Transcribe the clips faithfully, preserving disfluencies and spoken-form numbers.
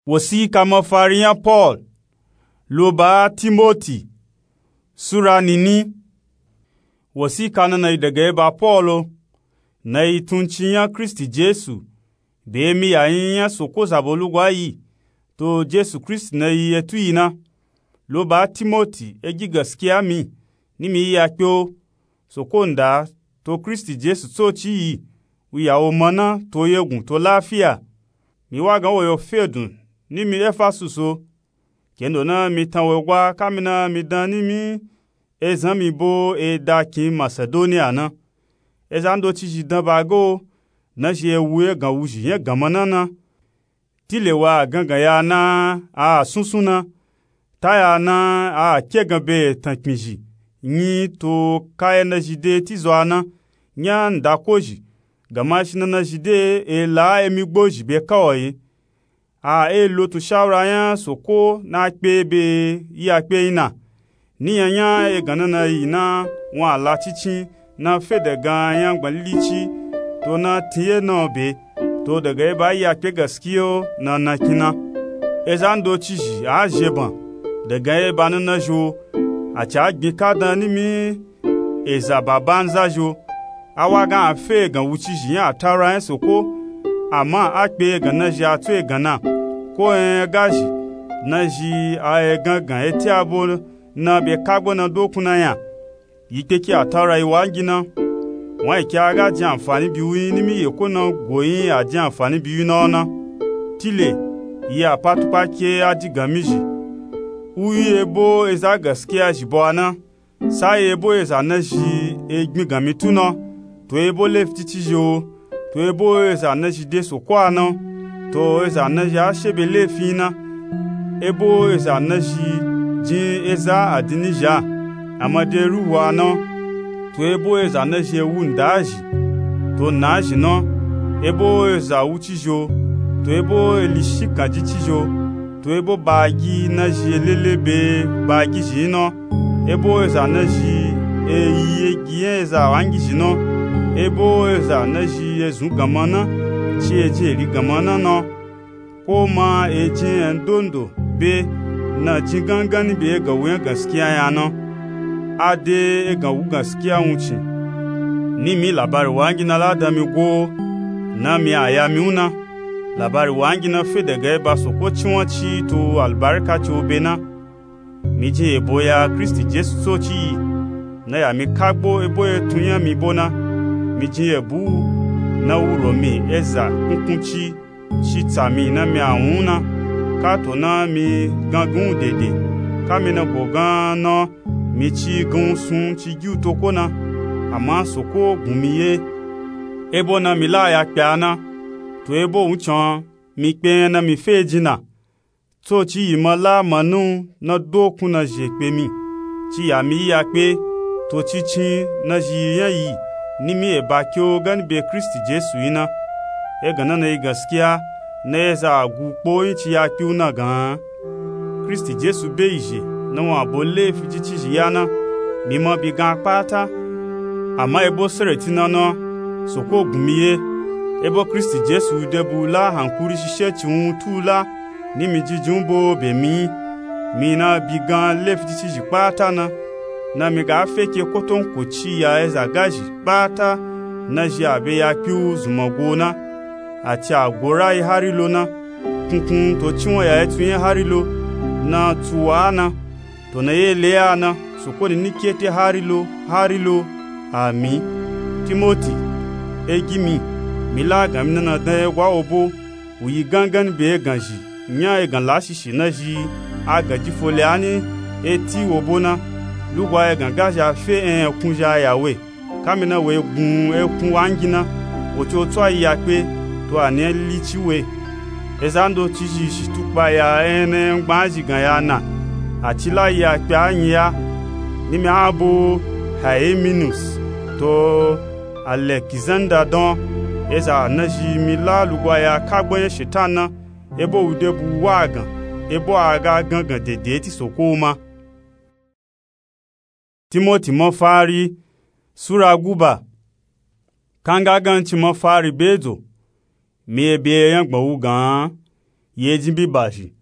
Wosika mafari nya Paul lo ba Timoti. Sura nini. Wosika nana yi daga eba Paul o, na yi tuncin nya Kristi Jesu, be emi yayin nya Soko zabo lugwa yi, to Jesu Kristi na yi etu yi na. Lo ba Timoti, egi gaskiya mi, ni mi yi ya kpe o. Soko nda to Kristi Jesu tsoci yi, wu ya wo mana to yegun to lafiya. Mi wa gan wo yo fedun ni mi Efasus o. Kendo na mi tan wo gwa kamina mi dan ni mi ezan mi bo e da kin Masedoniya na. Ezan doci zhi dan ba ga o, na zhi e wu egan wuzhi nya ganma na na. Tile wa a gangan ya na a sunsun na, ta ya na a kegan be tankpin zhi nyi to ka e na zhi de ti zo a na, nya nda ko zhi, gama shi na na zhi de e la emi gbo zhi be ka o yi. A e lo tun shawura nya Soko na kpe be yi a kpe yi na. Ni nya nya egan na na yi na wan a la cincin na fe daga nya gbanlilici to na tin ye na o be, to daga eba yi a kpe gaskiya o na na kin na. Ezan doci zhi a zheban daga eba na na zhi o, a ci a gbin ka dan ni mi eza ba banza zhi o. A wa gan a fe egan wuci zhi nya a tara nya Soko, ama a kpe egan na zhi a tso egan na, ko nya ga zhi na zhi a egan gan eti abo na be kagbo na dokun na nya. Yi kpeki a tara yi wangi na. Wan yi ke a ga jin anfani bi wu yin ni mi ye ko na go yin a jin anfani bi wu na o na. Tile yi a pa tukpa ke a digan mi zhi. Wu yi ebo eza gaskiya zhi bo a na. Sa yi ebo eza na zhi e gbin gan mi tu na, to ebo lefi cici zhi o, to ebo eza na zhi de Soko a na, to eza na zhi a she be lefi na, ebo eza na zhi jin eza adini zhi a, a ma de ruhu a na, to ebo eza na zhi e wu nda zhi, to na zhi na, ebo eza wuci zhi o, to ebo eli shikan jici zhi o, to ebo bagi na zhi e lele be bagi zhi na. Ebo eza na zhi e yi egi nya eza wangi zhi na, ebo eza na zhi e zun ganma na, ci e jin eri ganma na na, ko ma e jin nya ndondo be na jin gangan ni be egan wu nya gaskiya nya na. A de egan wu gaskiya wuncin. Ni mi labari wangi na la dan mi go o, na mi a ya mi wu na. Labari wangi na fe daga eba Soko cinwanci to albarkaci o be na. Mi jin yebo ya Kristi Jesu tsoci yi, na ya mi kagbo ebo etun nya mi bo na. Mi jin yebu wu na wuro mi eza kunkunci shi tsa mi na mi a wun na, ka to na mi gangan wu dede, ka mi na go gan na mi ci gan wu sun ci gi wu to ko na, ama Soko gun mi ye. Ebo na mi la ya kpe a na, to ebo wuncan mi kpe nya na mi fe jin na. Tsoci yi ma la manu na dokun na zhi e kpe mi, ci ya mi yi ya kpe, to cincin na zhi yi nya yi ni mi eba ke o gani be Kristi Jesu yi na. Egan na na yi gaskiya, na eza a gu kpo yin ci ya kpe wu na gan. Kristi Jesu be yi zhe na wan bo lefi cici zhi ya na, mi ma bi gan a kpata. Ama ebo sereti na na, Soko gun mi ye. Ebo Kristi Jesu de bu la hankuri shishe ci wun tu la, ni mi jijin wu bo be mi yi. Mi na bi gan lefi cici zhi kpata na, na mi ga fe ke kotonkoci ya eza gazhi kpata na zhi a be ya kpe wu zunman go na, ati a go rayi hari lo na, kunkun to cinwan ya etun nya hari lo na, tsuwa na, to na ye le ya na, Soko ni ni kete hari lo, hari lo. Ami. Timoti, egi mi, mi la gan mi na na dan ye gwa wo bo, wu yi gangan ni be egan zhi nya egan lashishi na zhi a gan ji fo le a ni eti wo bo na, lugwa egan gazhi a fe en ekun zhi a ya we. Ka mi na we gun ekun wangi na, wo ci wo tso a yi ya kpe, to a ni e li ci we. Eza ndoci zhi shi tukpa ya en na nya ngban zhi gan ya na, a ci la yi ya kpe a nyi ya, ni mi a bo Haeminus to Alekizanda dan. Eza na zhi mi la lugwa ya kagbo nya Shetan na, ebo wu de bu wa gan, ebo a ga gangan dede ti Soko wu ma. Timoti mafari, Sura guba. Kanga ganci mafari be dzo, mi e be nya gbọn wu gan. yi ejin bibazhi,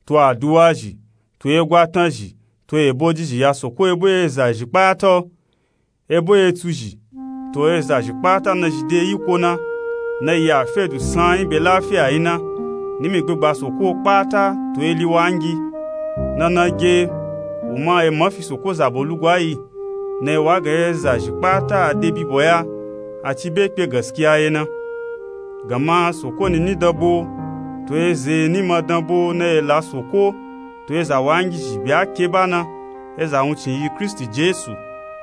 to aduwazhi, to egwatanzhi, to ebojizhi ya Soko ebo ezazhi kpata, ebo etsuzhi, to ezazhi kpata nazhi de yiko na, na yi afedu sanyi be lafiya yi na, nimi gbegba Soko kpata to eli wangi. Nana ge, u ma ema fi Soko zabo lugwa yi, na yi wa gan ezazhi kpata a de bibo ya, a ci be kpe gaskiya ye na. Gama Soko nini danbo, to eza ni ma danbo na yi la Soko, to eza wangizhi be a ke ba na, eza wuncin yi Kristi Jesu,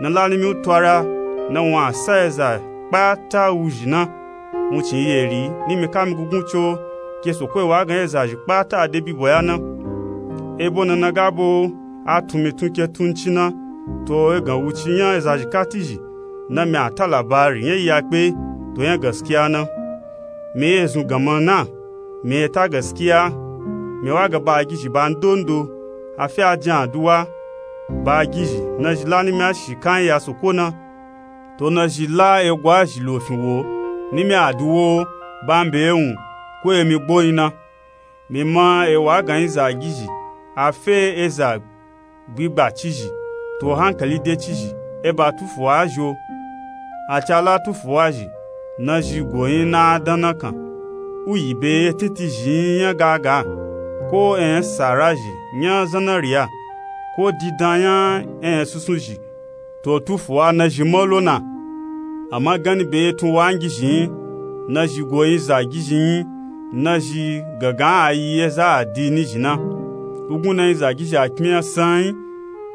na la nimi u twara, na wun a sa eza kpata wuzhi na. Wuncin yi eri, nimi kami gugun co, ke Soko yi wa gan ezazhi kpata a de bibo ya na. Ebo nana ga bo, a tun mi tun ke tun ci na, to egan wuci nya ezazhi katizhi, na mi a ta labari nya yi ya kpe, to nya gaskiya na. Mi ye zun ganma na, mi ye ta gaskiya, mi wa ga bagizhi ba ndondo, a fi a jin aduwa, bagizhi nazhi la nimi a shi kanyi ya Soko na, to nazhi la egwazhi lofin wo, nimi a duwo, ba mbe ewun, ko emi gboyin na. Mi ma e wa gan yi zagizhi, a fe eza gbigba cizhi, to hankali de cizhi, e ba tufuwa zho. A ca la tufuwa zhi, nazhi goyin na a dan na kan, u yi be e tintin zhi nya gaga, ko e nya sara zhi nya zanariya, ko didan nya e nya sunsun zhi, to tufuwa nazhi ma lo na. Ama ganni be etun wangizhi nyi, nazhi goyin zagizhi nyi, nazhi gangan a yi eza adini zhi na. Ugun na yi zagizhi a kpin nya sanyi,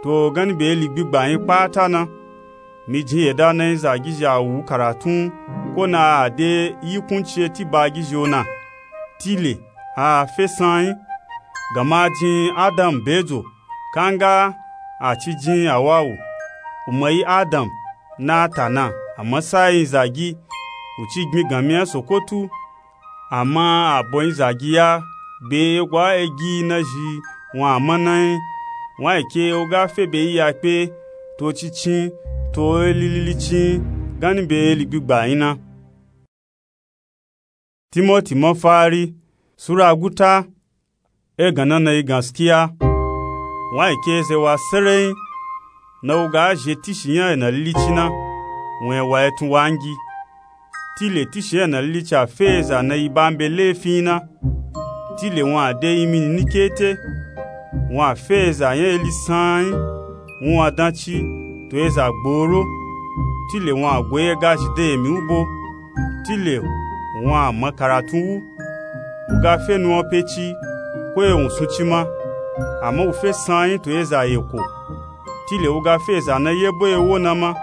to ganni be eli gbigba nyi kpata na. Mi jin yeda na yi zagizhi a wu karatun, ko na a de yi kunci eti bagizhi o na. Tile, a fe sanyi, ganma a jin Adam bedzo, kanga a ci jin Awawu, u ma yi Adam na a ta na, a ma sa yi zagi, u ci gbin ganmi nya Soko tu, ama a bo yi zagi ya, be egwa egi nazhi wun a ma na nyi, wun a yi ke u ga fe be yi ya kpe, to cicin, to eli lilicin, ganni be eli gbigba nyi na. Timoti mafari, Sura guta. Egan na na yi gaskiya. Wun a yi ke eza wa serenyi, na u ga zhe tishi nya ena lilici na, wun e wa etun wangi. Tile tishi nya ena lilici a fe eza na yi ba mbe lefinyi na. Tile wun a de imini ni kete. Wun a fe eza nya eli sanyi, wun a danci, to eza gboro. Tile wun a goyi ega zhi de emi u bo. Tile wun a ma karatun wu. U ga fe nuwan peci, ko ewun sunci ma, ama u fe sanyi to eza yeko. Tile u ga fe eza na yebo ewo na ma.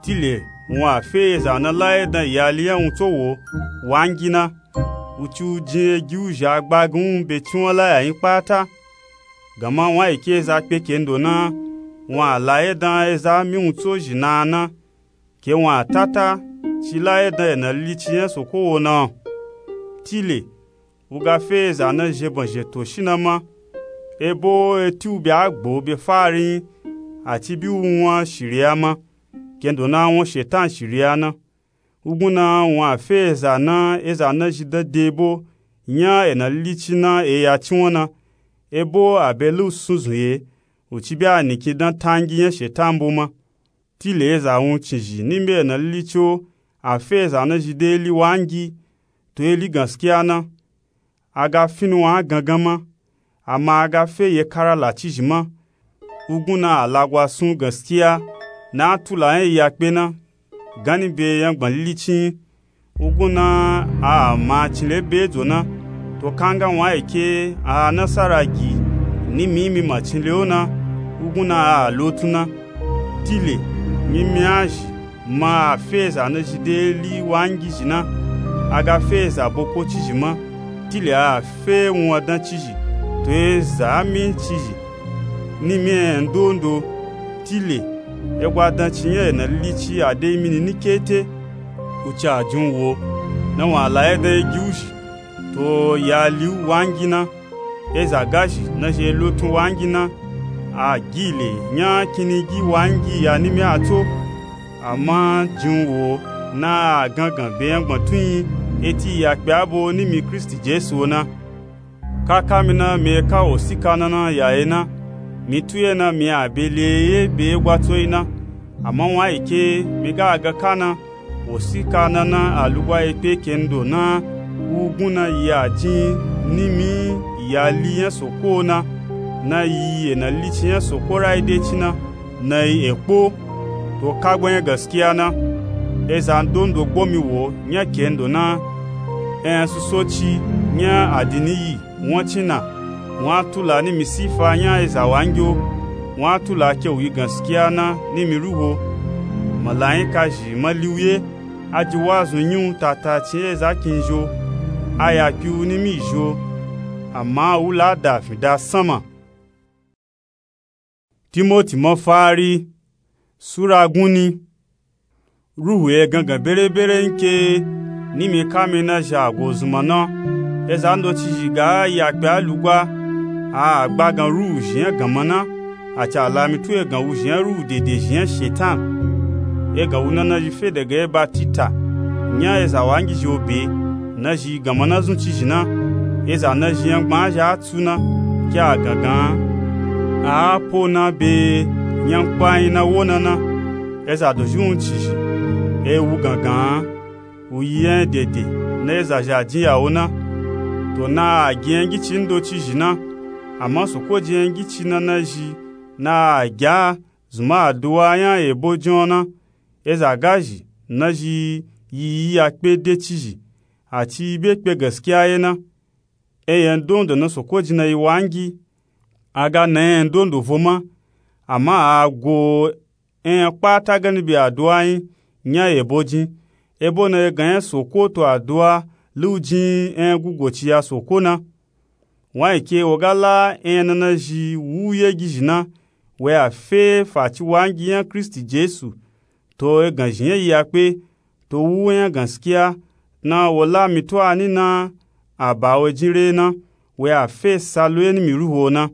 Tile wun a fe eza na la edan iyali nya wuntso wo wangi na. U ci u jin egi u zha gbagin u be cinwan laya nyi kpata. Ganma wun a yi ke eza kpe kendo na, wun a la edan eza miwuntso zhi na na. Ke wun a tata ci la edan ena lilici nya Soko wo na. Tile u ga fe eza na zheban zheto shi na ma. Ebo eti u be a gbo be fari nyi, a ci bi u wun a shiriya ma, kendo na wun Shetan shiriya na. Ugun na wun a fe eza na, eza na zhi dan de ebo nya ena lilici na e ya cinwan na. Ebo a be lu sunzun ye, u ci bi a nikin dan tangi nya Shetan bo ma. Tile eza wuncin zhi ni mbe ena lilici o, a fe eza na zhi de eli wangi, to eli gaskiya na. A ga fi nuwan a gangan ma, ama a ga fe yekara laci zhi ma. Ugun na a lagwa sun gaskiya, na a tula nya iya kpe na, ganni be yangban lilici nyi. Ugun na a ma cinle bedzo na, to kanga wun a yi ke a nasara gi ni mi mi ma cinle o na, ugun na a lotun na. Tile, mimi a zhi, ma a fe eza na zhi de eli wangi zhi na, a ga fe eza boko ci zhi ma. Tile a fe wun a danci zhi, to eza a mi ci zhi ni mi nya ndondo. Tile, egwa danci nya ena lilici a de imini ni kete. U ci a jin u wo, na wun a la edan egi u zhi, to iyali u wangi na. Eza gazhi na zhi e lotun wangi na, a gi le nya kinigi wangi ya ni mi a tso. Ama jin u wo na a gangan be yangban tun nyi, eti iya kpe a bo ni mi Kristi Jesu o na. Kaka mi na mi ka wosika nana yaye na, mi tuye na mi a be le ye be gwa tsoyi na. Ama wun ayi ke mi ga a ga ka na, wosika nana a lugwa ye kpe kendo na, wugun na yi a jin nimi yi a li nya soko na, na yi e na li ci nya soko rayi de ci na, na yi e kpo. To kagbo nya gaskiya na, eza ndondo gbo mi wo nya kendo na, e nya suso ci nya adini yi won ci na, wun a tula nimi sifa nya eza wangi o, wun a tula ke wu yi gaskiya na nimi ruhu o. Malayika zhi ma li wu ye, a ji wazun nyi wu tata ci eza kin zhi o, a ya kpi wu nimi zhi o, ama wu la da fin da sanma. Timoti mafari, sura gunni. Ruhu ye gangan berebere nke nimi kami na zhi a go zunma na. Eza ndoci zhi ga ya kpe a lugwa, a gbagan ruhu zhi nya ganma na, a ci a la mi tu egan wu zhi nya ruhu dede zhi nya shetan. Egan wu nana zhi fe daga e batita nya eza wangi zhi o be, na zhi ganma na zun ci zhi na. Eza na zhi nya gbaa zhi a tsu na, ke a gangan a a po na be nya nkpa yin na wo na na. Eza dozhi wun ci zhi, e wu gangan wu yi nya dede na eza zhi a jin ya wo na. To na a gi nya ngici ndoci zhi na, ama soko ji nya ngici nana zhi na a gi a zunma aduwa nya ebo jin o na. Eza ga zhi na zhi yi yi ya kpe de ci zhi, a ci yi be kpe gaskiya ye na. Enya ndondo na soko ji na yi wangi, a ga na enya ndondo vo ma, ama a go enya kpata gani be aduwa yin nya ebo jin, ebo na egan nya soko to aduwa lu jin enya gugo ci ya soko na. Wun ayi ke wo ga la enya nana zhi wu yegi zhi na, wo ya fe faci wangi nya kristi jesu, to egan zhi nya yi ya kpe, to wu enya gaskiya, na wo la mi tu a ni na a ba wo jin re na, wo ya fe sa lo ye nimi ruhu o na.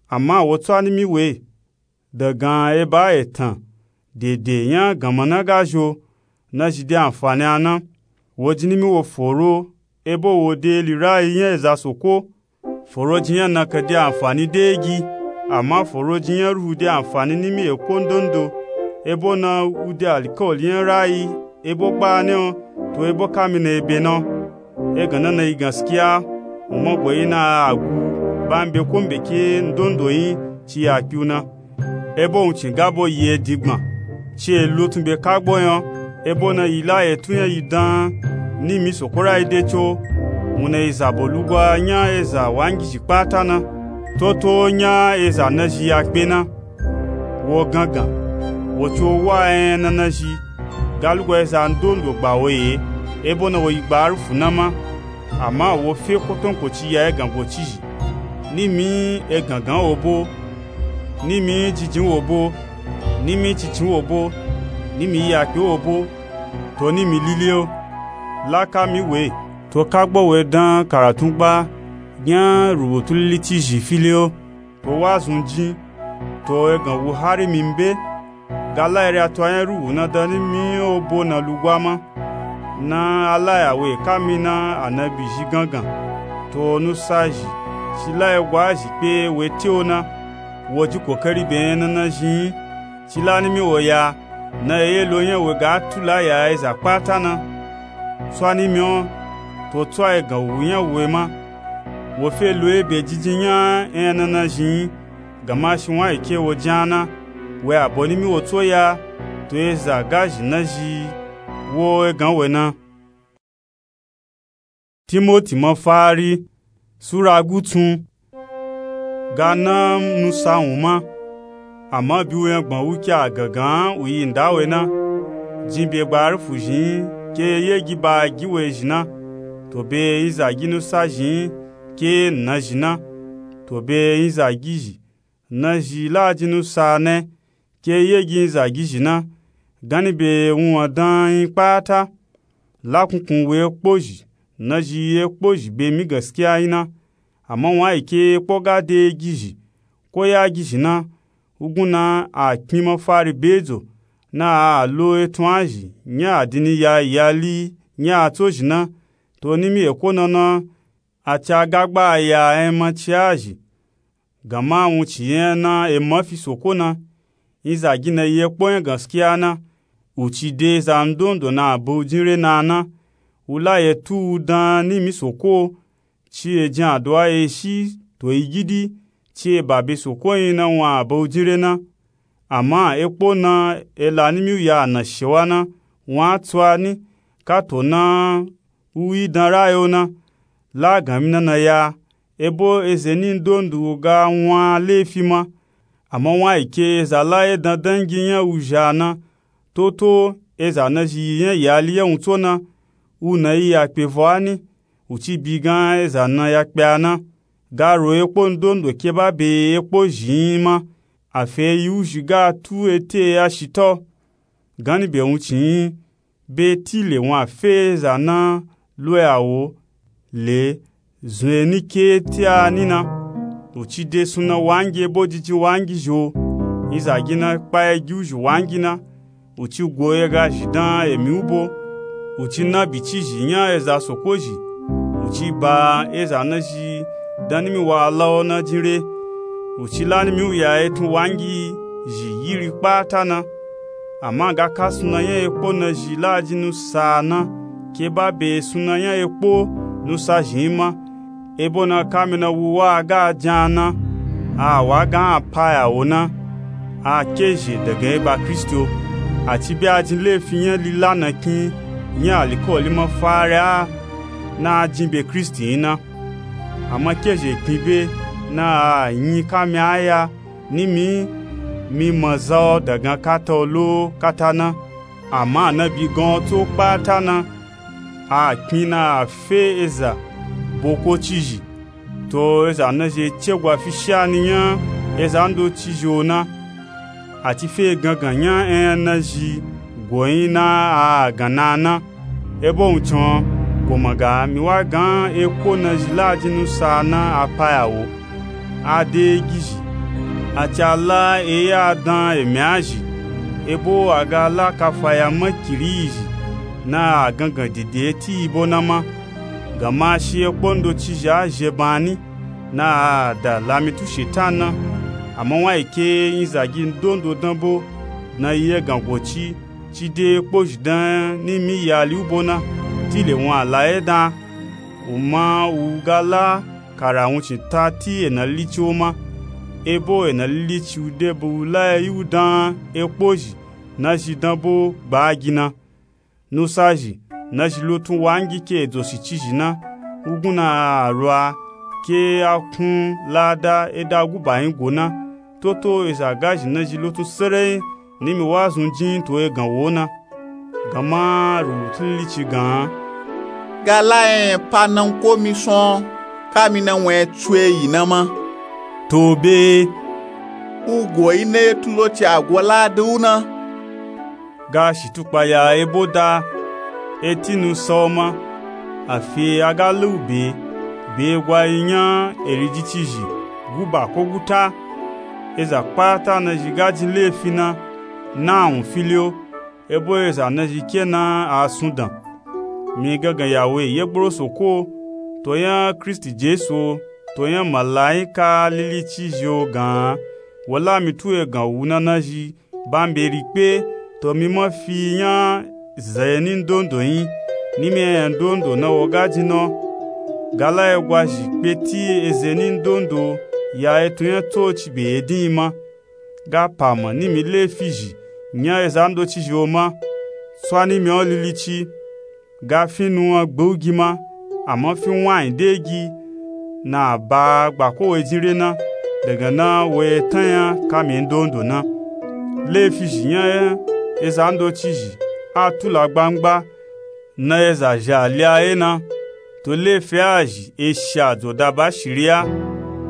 Ama wo tsu a nimi we, dagan eba etan dede nya ganma na ga zhi o, na zhi de anfani a na. Wo ji nimi wo foro, ebo wo de eli rayi nya eza soko. Foro ji nya nakan de anfani de egi, ama foro ji nya ruhu de anfani nimi eko ndondo, ebo na wu de alikawali nya rayi ebo kpaani o, to ebo kami na ebe na. Egan nana yi gaskiya, wun ma go yi na a gu ba mbe ko mbe ke ndondo yin ci ya kpi wu na. Ebo wun cin gabo yi edi gban, ci e lo tun be kagbo nya, ebo na yi la etu nya yi dan nimi soko rayi de co. Wun na yi zabo lugwa nya eza wangi zhi kpata na, toto nya eza na zhi ya kpe na. Wo gangan, wo ci wo wa enya nana zhi, ga lugwa eza ndondo gba wo ye, ebo na wo yi gba arufu na ma. Ama wo fe kotonkoci ya egan go ci zhi, nimi egangan wo bo, nimi jinjin wo bo, nimi cincin wo bo, nimi yakpe wo bo, to nimi lili o. La kami we, to kagbo we dan karatun gba nya rubutu lili ci zhi fili o. To wazun jin, to egan wu hari mi mbe, ga la ere a to a nya ruhu na dan nimi obo na lugwa ma. Na a la ya we kami na anabi zhi gangan, to nusa zhi, ci la egwa zhi kpe we te o na. Wo ji kokari be enya nana zhi yin, ci la nimi wo ya, na eye lo nya we ga tula ya eza kpata na. Tswa nimi o, to tswa egan wu nya we ma. Wo fe lo ebe jinjin nya enya nana zhi yin, gama shi wun ayi ke wo jin a na, we abo nimi wo tso ya, to eza ga zhi na zhi wo egan we na. Timoti mafari, sura gutsun. Ga na nusa wun ma, ama bi we nya gban wu ke a gangan wu yi nda we na. Jin be gba arufu zhi yin ke yegi ba gi we zhi na, to be yin zagi nusa zhi yin ke na zhi na, to be yin zagi zhi na zhi la jin nusa ne ke yegi yin zagi zhi na, gani be wunwan dan yin kpata. La kunkun we kpo zhi na zhi ye kpo zhi be mi gaskiya yin na. Ama wun ayi ke kpo ga de gi zhi ko ya gi zhi na, wugun na a kpin mafari be dzo, na a lo etun a zhi nya adini ya yi a li nya a tso zhi na, to nimi eko na na a ci a ga gba aya enya ma ci a zhi. Gama wuncin enya na ema fi soko na, nzagin na yi ekpo nya gaskiya na. Wu ci de za ndondo na a be wu jin re na na. Wu la yi etu wu dan nimi soko, ci e jin aduwa e shi to yi gidi, ci e ba be soko yin na wun a be wu jin re na. Ama ekpo na e la nimi wu ya a nashewa na, wun a tsu a ni, kato na wu yi dan rayo na. La a gan mi na na ya, ebo eze ni ndondo ga wun a lefi ma. Ama wun a yi ke eza la e dan dangi nya wu zhi a na. Toto eza na zhi yi nya yali nya wun tso na, wu na yi ya kpe vo a ni, wu ci bi gan eza na ya kpe a na. Ga ro ekpo ndondo ke ba be ekpo zhi yin ma, a fe yi wu zhi ga tu ete ya shita o. Ganni be wuncin yin, be tile wun a fe eza na lo ya wo le zun e ni ke ete a ni na. Wu ci de sunna wangi ebo jijin wangi zhi o. Nzagin na kpa e gi wu zhi wangi na. Wu ci go e ga zhi dan emi wu bo. Wu ci na bi ci zhi nya eza soko zhi. Wu ci ba eza na zhi dan nimi wa la o na jin re. Wu ci la nimi wu ya etun wangi zhi yiri kpata na. Ama ga ka sunna nya ekpo na zhi la jin nusa na, ke ba be sunna nya ekpo nusa zhi yin ma. Ebo na kami na wu wa ga jan na, a wa ga a pa ya wo na, a ke zhe dagan e ba Kristi o. A ci be a jin lefi nya lila na kin nya alikawali mafari a na a jin be Kristi yin na. Ama ke zhe kpin be na a yin kami a ya nimi mi maza o dagan kata o lo kata na. Ama a na bi gan o tso kpata na, a kpin na a fe eza boko ci zhi. To eza na zhi e cegwa fi shani nya eza ndo ci zhi o na. A ci fe gangan nya enya na zhi go yin na a gan na na. Ebo wuncin o, go ma ga mi wa gan ekpo na zhi la jin nusa na a pa ya wo. A de e gi zhi. A ci a la e ya dan emi a zhi. Ebo a ga la kafa ya makiri yi zhi na a gangan dede eti yi bo na ma. Gama shi ekpo ndo ci zhi a zhe ban ni na a da la mi tu shetan na. Ama wun a yi ke nzagi ndondo dan bo na yi egan go ci ci de ekpo zhi dan nimi yali wu bo na, tile wun a la e dan. Wu ma wu ga la kara wuncin ta ti ena lilici wo ma. Ebo ena lilici wu de be wu la e yi wu dan ekpo zhi na zhi dan bo gba gi na. Nusa zhi na zhi lotun wangi ke edzo shi ci zhi na. Wugun na a ro a ke a kun lada e da guba yin go na. Toto eza ga zhi na zhi lotun sereyin nimi wa zun jin to egan wo na. Gama rubutu lilici gan, ga la enya pa na ko mi sun o, kami na wun e tsu e yi na ma. To be wu go yi na etu lo ci a go lada wu na. Ga shitukpa ya ebo da eti nusa o ma. A fe a ga la u be be gwa yi nya eriji ci zhi guba ko guta. Eza kpata na zhi ga jin lefi na, na a wun fili o. Ebo eza na zhi ke na a sun dan. Mi gangan ya wo e ye gboro soko o, to nya Kristi Jesu o, to nya malayika lilici zhi o gan. Wo la mi tu egan wu na na zhi ba mi be ri kpe. To mi ma fi nya zeni ndondo yin nimi enya ndondo na wo ga jin na o. Ga la e gwa zhi kpe ti ezeni ndondo ya etun nya tsoci be edin yi ma. Ga pa ma nimi lefi zhi nya eza ndoci zhi o ma. Tswa nimi o lilici. Ga fi nuwan gbe u gi ma, ama fi wanyi de gi na a ba gba ko we jin re na, dagan na wo ye tan nya kami ndondo na. Lefi zhi nya eza ndoci zhi a tula gbangba na eza zhi a li a ye na. To lefi a zhi e shi a dzoda ba shiri a.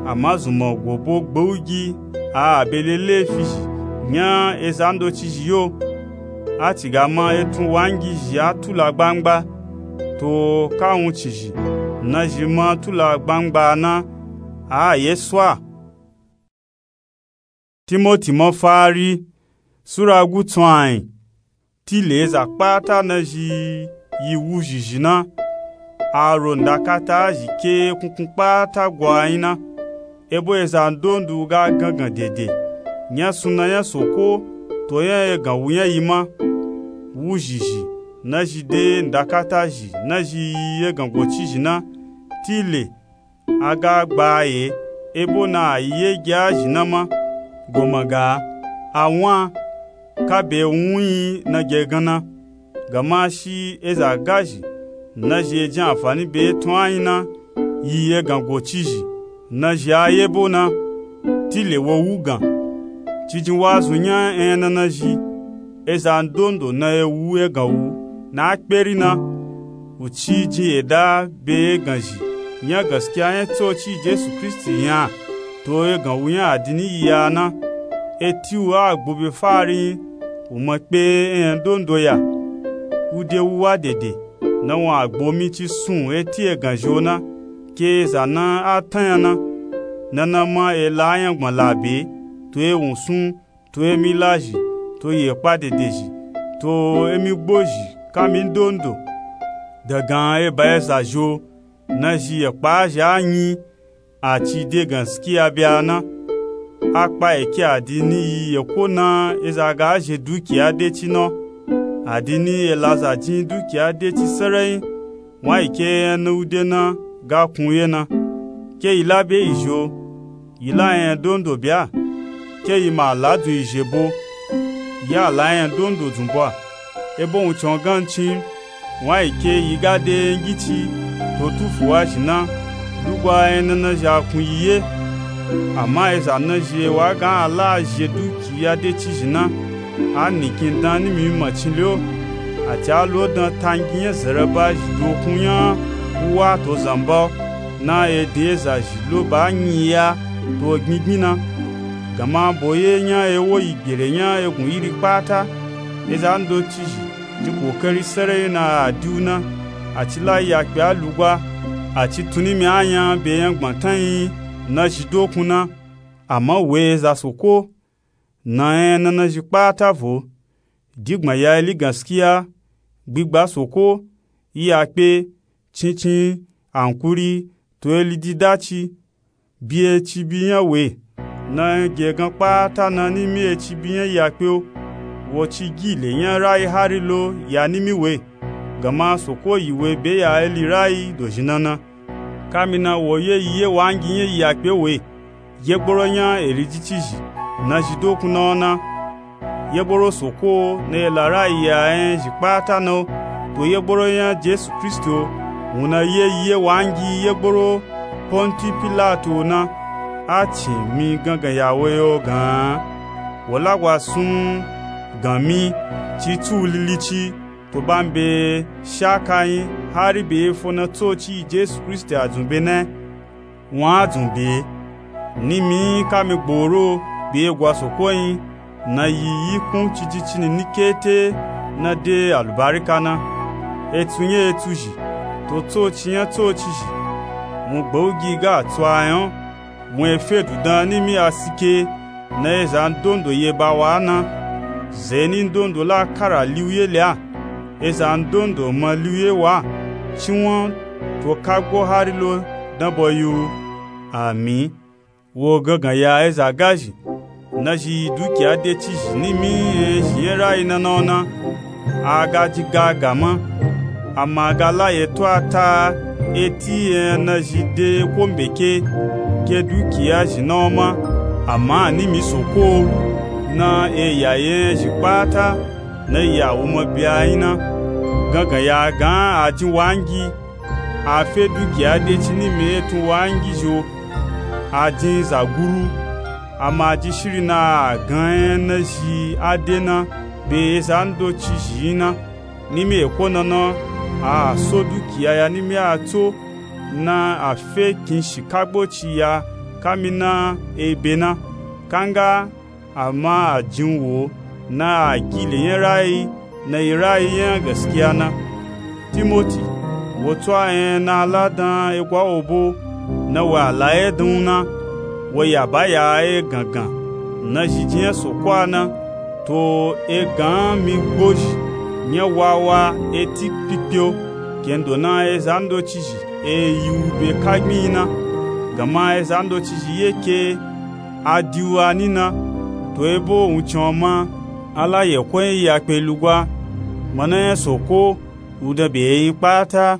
Ama zunman go bo gbe u gi a a be le lefi zhi nya eza ndoci zhi yo. A ci ga ma etun wangi zhi a tula gbangba. To ka wuncin zhi na zhi ma tula gbangba na a a ye swa. Timoti mafari sura gutsun ayin. Tile eza kpata na zhi yi wu zhizhi na. a ro ndakata zhi ke kunkun kpata gwa nyi na. Ebo eza ndondo ga gangan dede nya sunna nya soko to nya egan wu nya yi ma. Wu zhizhi na zhi de ndakata zhi na zhi yi egan goci zhi na, tile a ga gba ye, ebo na a yi ye gya zhi na ma. Goma ga a wun a ka be wun yi na gye gan na. Gama shi eza gazhi na zhi e jin anfani be etun a nyi na yi egan goci zhi na zhi a yebo na, tile wo wu gan. Cijin wa zun nya enyana na zhi eza ndondo na e wu egan wu na a kperi na. Wu ci jin eda be egan zhi nya gaskiya nya tsoci jesu kristi nya to egan wu nya adini yi ya na. Eti wu a gbo be fari nyi wu ma kpe enya ndondo ya. Wu de wu wa dede na wan agbo mi ci sun eti egan zhi o na ke eza na a tan nya na. Nana ma e la a nya gbma la be to e wun sun to emi lazhi to yi ekpa dedezhi to emi gbozhi kami ndondo. Dangan eba eza zhi o na zhi ekpa a zhi a nyi a ci de ganskiya bya na. A kpa eke adini yi eko na eza ga zhe dukiya de ci na o. Adini e la za jin dukiya de ci serenyi wan yi ke enya na wu de na ga kun ye na. Ke yi la be yi zhi o yi la enya ndondo bya. Ke yi ma la dun yi zhe bo yi a la enya ndondo dun bo a. Ebo wun cin o gan cin wan yi ke yi ga de enya ngici to tufu wa zhi na lugwa enya nana zhi a kun yi ye. Ama eza na zhi e wa gan a la a zhe dukiya de ci zhi na a nikin dan nimi macin le o. A ci a lo dan tangi nya zereba zhi dokun nya wu wa to zanba o na e din eza zhi lo ba nyi ya to gbingbin na. Gama bo ye nya e wo yi gbere nya egun iri kpata eza ndo ci zhi ji kokari serenyi na a di wu na. A ci la yi akpe a lugwa a ci tun nimi a nya be nya gbatan yi na zhi dokun na. Ama wo eza soko na enya nana zhi kpata vo digbma ya ili ganskiya gbigba soko yi akpe cincin ankuri to ili dida ci bi eci bi nya we. Na enya gegan kpata na nimi eci bi nya yi akpe o wo ci gi le nya rayi hari lo ya nimi we. Gama soko yi we be ya eli rayi dozhi nana. Kami na wo ye yi ye wa ngi nya yi akpe we yegboro nya eli ji ci zhi na zhi dokun na o na. Yegboro soko na e la rayi ya enya zhi kpata na o to yegboro nya jesu kristi o wun na ye yi ye wa ngi yegboro ponti pilato o na. A cin mi gangan ya wo ye o gan an wo lagwa sun gan mi ci tsu lili ci to ba mi be shaka nyi hari be efo na tsoci yi jesu kristi a dzun be na. Wan a dzun be nimi kami gboro be egwa soko nyi na yi yi kun ci ji cini ni kete na de alubarika na. Etsu nya etsu zhi to tsoci nya tsoci zhi wun gbe wu gi ga a tsu a nya o. Wun e fe dudan nimi a sike na eza ndondo ye ba wa na. Zeni ndondo la kara li wu ye le a eza ndondo ma li wu ye wa. Ci wan to kagbo hari lo danbo yi wu. Ami wo gangan ya eza gazhi na zhi yi dukiya de ci zhi nimi enya zhi nya rayi nana o na. A ga ji ga a ga ma ama a ga la ye to a ta eti enya na zhi de ko mbeke ke dukiya zhi na o ma. Ama a nimi soko o na e ya yi enya zhi kpata na yi a wu ma bi a nyi na. Gangan ya a gan a jin wa ngi a fe dukiya de ci nimi etun wa ngi zhi o. A jin zaguru ama a ji shiri na a gan enya na zhi a de na be eza ndo ci zhi nyi na. Nimi eko nana a so dukiya ya nimi a tso na a fe kin shi kagbo ci ya kami na ebe na. Kanga ama a jin wo na a gi le nya rayi na yi rayi nya gaskiya na. Timoti wo tsu a enya na a la dan egwa wo bo na wo a la ye dan wu na. Wo ya ba ya egangan na zhi ji nya soko a na to egan mi gbozhi nya wawa eti kpikpe o. gendo na eza ndocizhi e yi wu be kagbinyi na, gama eza ndocizhi ye ke a di wu ani na. To ebo wuncin ma a la yekon yi ya kpe lugwa. Mana nya soko wu dan be eyin kpata.